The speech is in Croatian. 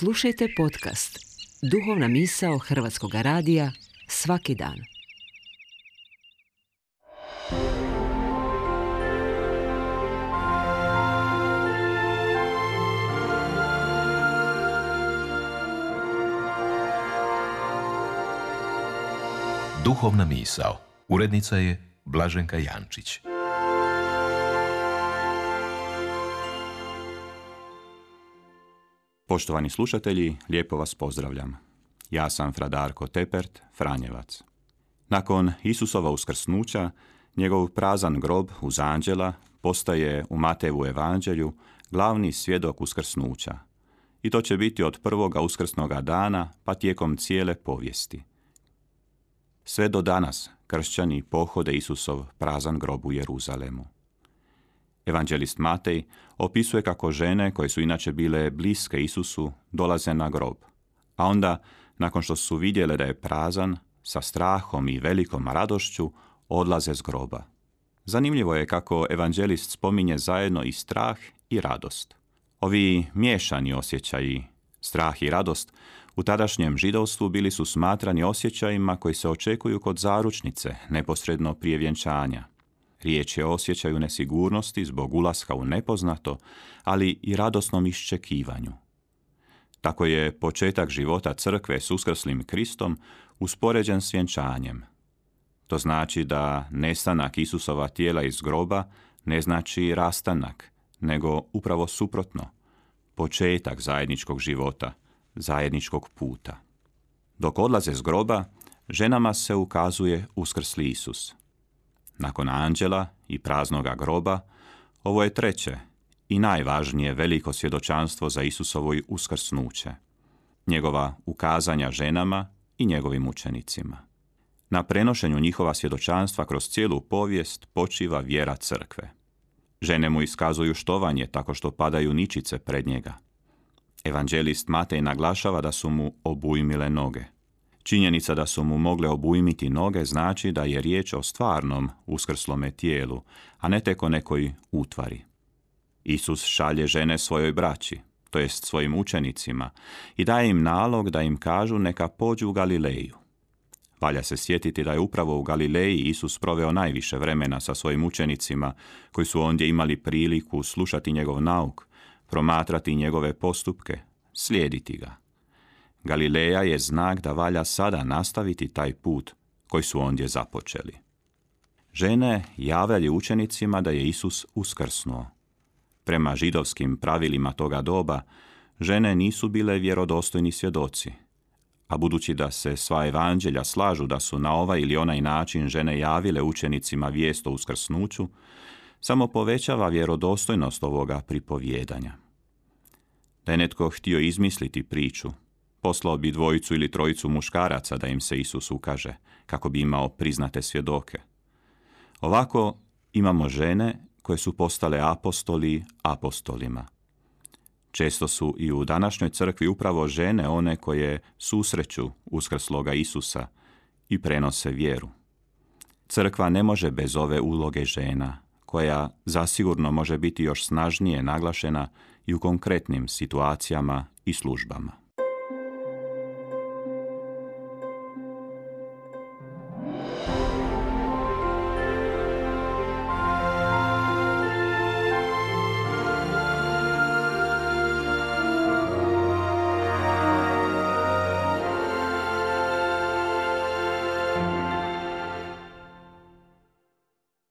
Slušajte podcast Duhovna misao Hrvatskog radija svaki dan. Duhovna misao. Urednica je Blaženka Jančić. Poštovani slušatelji, lijepo vas pozdravljam. Ja sam fra Darko Tepert, Franjevac. Nakon Isusova uskrsnuća, njegov prazan grob uz anđela postaje u Matejevu evanđelju glavni svjedok uskrsnuća. I to će biti od prvoga uskrsnoga dana pa tijekom cijele povijesti. Sve do danas kršćani pohode Isusov prazan grob u Jeruzalemu. Evanđelist Matej opisuje kako žene koje su inače bile bliske Isusu dolaze na grob, a onda, nakon što su vidjele da je prazan, sa strahom i velikom radošću odlaze s groba. Zanimljivo je kako evanđelist spominje zajedno i strah i radost. Ovi miješani osjećaji, strah i radost, u tadašnjem židovstvu bili su smatrani osjećajima koji se očekuju kod zaručnice, neposredno prije vjenčanja. Riječ je o osjećaju nesigurnosti zbog ulaska u nepoznato, ali i radosnom iščekivanju. Tako je početak života crkve s uskrslim Kristom uspoređen s vjenčanjem. To znači da nestanak Isusova tijela iz groba ne znači rastanak, nego upravo suprotno, početak zajedničkog života, zajedničkog puta. Dok odlaze s groba, ženama se ukazuje uskrsli Isus. Nakon anđela i praznoga groba, ovo je treće i najvažnije veliko svjedočanstvo za Isusovo uskrsnuće. Njegova ukazanja ženama i njegovim učenicima. Na prenošenju njihova svjedočanstva kroz cijelu povijest počiva vjera crkve. Žene mu iskazuju štovanje tako što padaju ničice pred njega. Evanđelist Matej naglašava da su mu obujmile noge. Činjenica da su mu mogle obujmiti noge znači da je riječ o stvarnom uskrslome tijelu, a ne tek o nekoj utvari. Isus šalje žene svojoj braći, to jest svojim učenicima, i daje im nalog da im kažu neka pođu u Galileju. Valja se sjetiti da je upravo u Galileji Isus proveo najviše vremena sa svojim učenicima, koji su ondje imali priliku slušati njegov nauk, promatrati njegove postupke, slijediti ga. Galileja je znak da valja sada nastaviti taj put koji su ondje započeli. Žene javljaju učenicima da je Isus uskrsnuo. Prema židovskim pravilima toga doba, žene nisu bile vjerodostojni svjedoci, a budući da se sva evanđelja slažu da su na ovaj ili onaj način žene javile učenicima vijest o uskrsnuću, samo povećava vjerodostojnost ovoga pripovjedanja. Da je netko htio izmisliti priču, poslao bi 2 ili 3 muškaraca da im se Isus ukaže, kako bi imao priznate svjedoke. Ovako imamo žene koje su postale apostoli apostolima. Često su i u današnjoj crkvi upravo žene one koje susreću uskrsloga Isusa i prenose vjeru. Crkva ne može bez ove uloge žena, koja zasigurno može biti još snažnije naglašena i u konkretnim situacijama i službama.